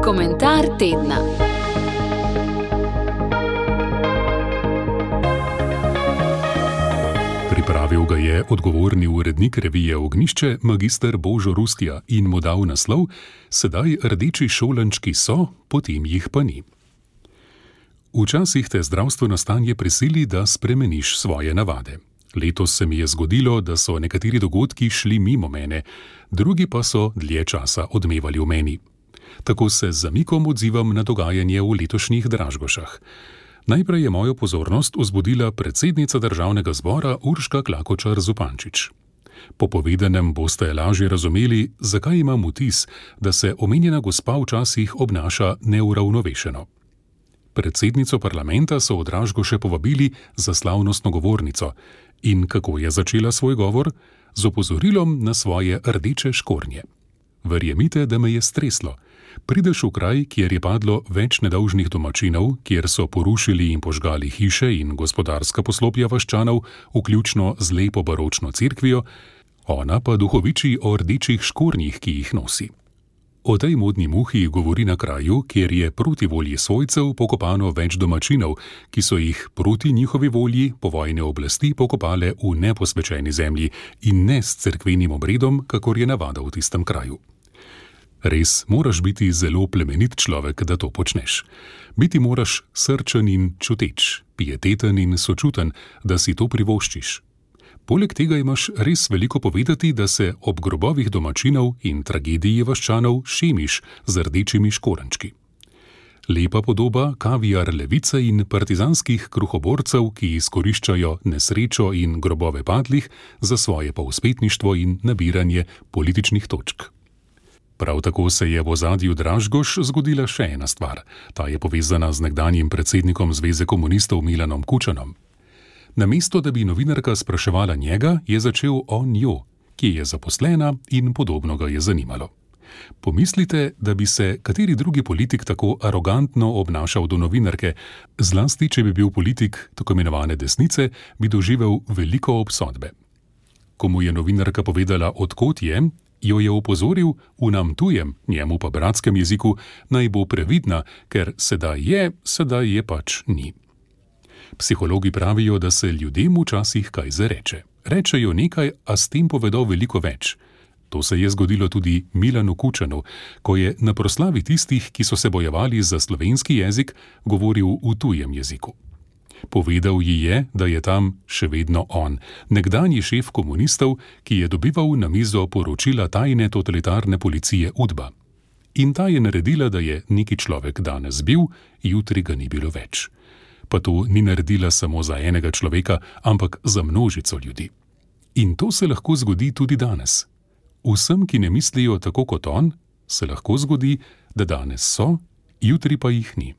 Komentar tedna. Pripravil ga je odgovorni urednik revije Ognjišče, magister Božo Rustja, in mu dal naslov: Sedaj rdeči šolančki so, potem jih pa ni. Včasih te zdravstveno stanje prisili, da spremeniš svoje navade. Letos se mi je zgodilo, da so nekateri dogodki šli mimo mene, drugi pa so dlje časa odmevali v meni. Tako se z zamikom odzivam na dogajanje v letošnjih Dražgošah. Najprej je mojo pozornost vzbudila predsednica Državnega zbora Urška Klakočar Zupančič. Po povedanem boste lažje razumeli, zakaj imam vtis, da se omenjena gospa včasih obnaša neuravnovešeno. Predsednico parlamenta so v Dražgoše povabili za slavnostno govornico. In kako je začela svoj govor? Z opozorilom na svoje rdeče škornje. Verjemite, da me je streslo. Prideš v kraj, kjer je padlo več nedolžnih domačinov, kjer so porušili in požgali hiše in gospodarska poslopja vaščanov, vključno z lepo baročno cerkvijo, ona pa duhoviči o rdečih škornjih, ki jih nosi. O tej modni muhi govori na kraju, kjer je proti volji svojcev pokopano več domačinov, ki so jih proti njihovi volji povojne oblasti pokopale v neposvečeni zemlji in ne s cerkvenim obredom, kakor je navada v tistem kraju. Res moraš biti zelo plemenit človek, da to počneš. Biti moraš srčen in čuteč, pieteten in sočuten, da si to privoščiš. Poleg tega imaš res veliko povedati, da se ob grobovih domačinov in tragediji vaščanov šemiš z rdečimi škorenčki. Lepa podoba kaviar levice in partizanskih kruhoborcev, ki izkoriščajo nesrečo in grobove padlih za svoje povzpetništvo in nabiranje političnih točk. Prav tako se je v ozadju Dražgoš zgodila še ena stvar. Ta je povezana z nekdanjim predsednikom Zveze komunistov Milanom Kučanom. Namesto da bi novinarka spraševala njega, je začel on jo, ki je zaposlena in podobno ga je zanimalo. Pomislite, da bi se kateri drugi politik tako arogantno obnašal do novinarke, zlasti če bi bil politik tako imenovane desnice, bi doživel veliko obsodbe. Ko mu je novinarka povedala, od kod je, jo je opozoril v nam tujem, njemu pa bratskem jeziku, naj bo previdna, ker sedaj je pač ni. Psihologi pravijo, da se ljudem včasih kaj zareče. Rečejo nekaj, a s tem povedo veliko več. To se je zgodilo tudi Milanu Kučanu, ko je na proslavi tistih, ki so se bojevali za slovenski jezik, govoril v tujem jeziku. Povedal ji je, da je tam še vedno on, nekdanji šef komunistov, ki je dobival na mizo poročila tajne totalitarne policije UDBA. In ta je naredila, da je neki človek danes bil, jutri ga ni bilo več. Pa to ni naredila samo za enega človeka, ampak za množico ljudi. In to se lahko zgodi tudi danes. Vsem, ki ne mislijo tako kot on, se lahko zgodi, da danes so, jutri pa jih ni.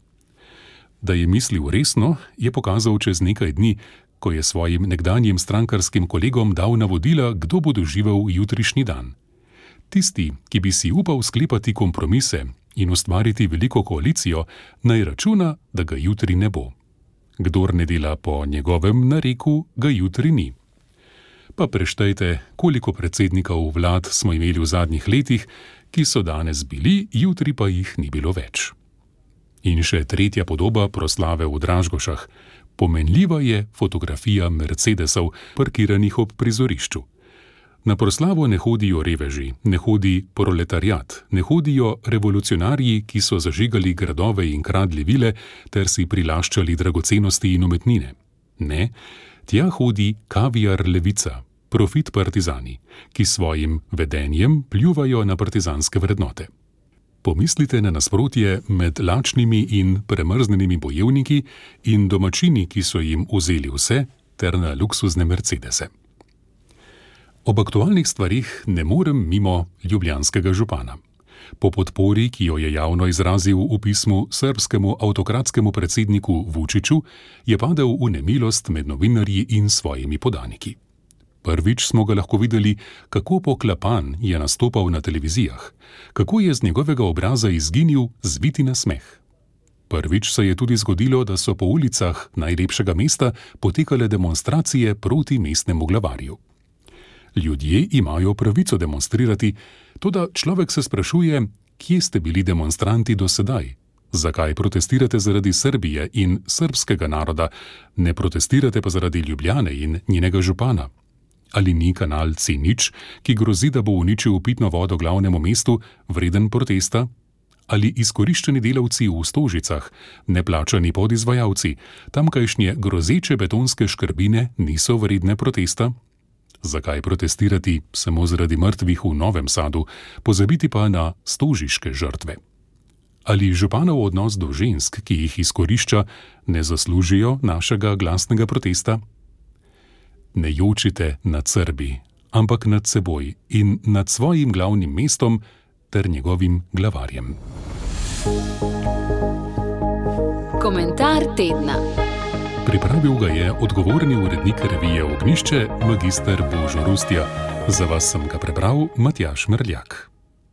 Da je mislil resno, je pokazal čez nekaj dni, ko je svojim nekdanjim strankarskim kolegom dal navodila, kdo bo doživel jutrišnji dan. Tisti, ki bi si upal sklepati kompromise in ustvariti veliko koalicijo, naj računa, da ga jutri ne bo. Kdor ne dela po njegovem nareku, ga jutri ni. Pa preštejte, koliko predsednikov vlad smo imeli v zadnjih letih, ki so danes bili, jutri pa jih ni bilo več. In še tretja podoba proslave v Dražgošah. Pomenljiva je fotografija Mercedesov, parkiranih ob prizorišču. Na proslavo ne hodijo reveži, ne hodi proletariat, ne hodijo revolucionarji, ki so zažigali gradove in kradli vile ter si prilaščali dragocenosti in umetnine. Ne, tja hodi kaviar levica, profit partizani, ki svojim vedenjem pljuvajo na partizanske vrednote. Pomislite na nasprotje med lačnimi in premrznenimi bojevniki in domačini, ki so jim vzeli vse, ter na luksuzne Mercedese. Ob aktualnih stvarih ne morem mimo ljubljanskega župana. Po podpori, ki jo je javno izrazil v pismu srbskemu avtokratskemu predsedniku Vučiću, je padel v nemilost med novinarji in svojimi podaniki. Prvič smo ga lahko videli, kako poklapan je nastopal na televizijah, kako je z njegovega obraza izginil zviti nasmeh. Prvič se je tudi zgodilo, da so po ulicah najlepšega mesta potekale demonstracije proti mestnemu glavarju. Ljudje imajo pravico demonstrirati, toda človek se sprašuje, kje ste bili demonstranti do sedaj? Zakaj protestirate zaradi Srbije in srbskega naroda, ne protestirate pa zaradi Ljubljane in njenega župana? Ali ni kanal C0, ki grozi, da bo uničil pitno vodo glavnemu mestu, vreden protesta? Ali izkoriščeni delavci v Stožicah, neplačani podizvajalci, tamkajšnje grozeče betonske škrbine niso vredne protesta? Zakaj protestirati samo zaradi mrtvih v Novem Sadu, pozabiti pa na stožiške žrtve? Ali županov odnos do žensk, ki jih izkorišča, ne zaslužijo našega glasnega protesta? Ne jočite nad Srbi, ampak nad seboj in nad svojim glavnim mestom ter njegovim glavarjem. Komentar tedna. Pripravil ga je odgovorni urednik revije Ognjišče, magister Božo Rustja. Za vas sem ga prebral Matjaž Merljak.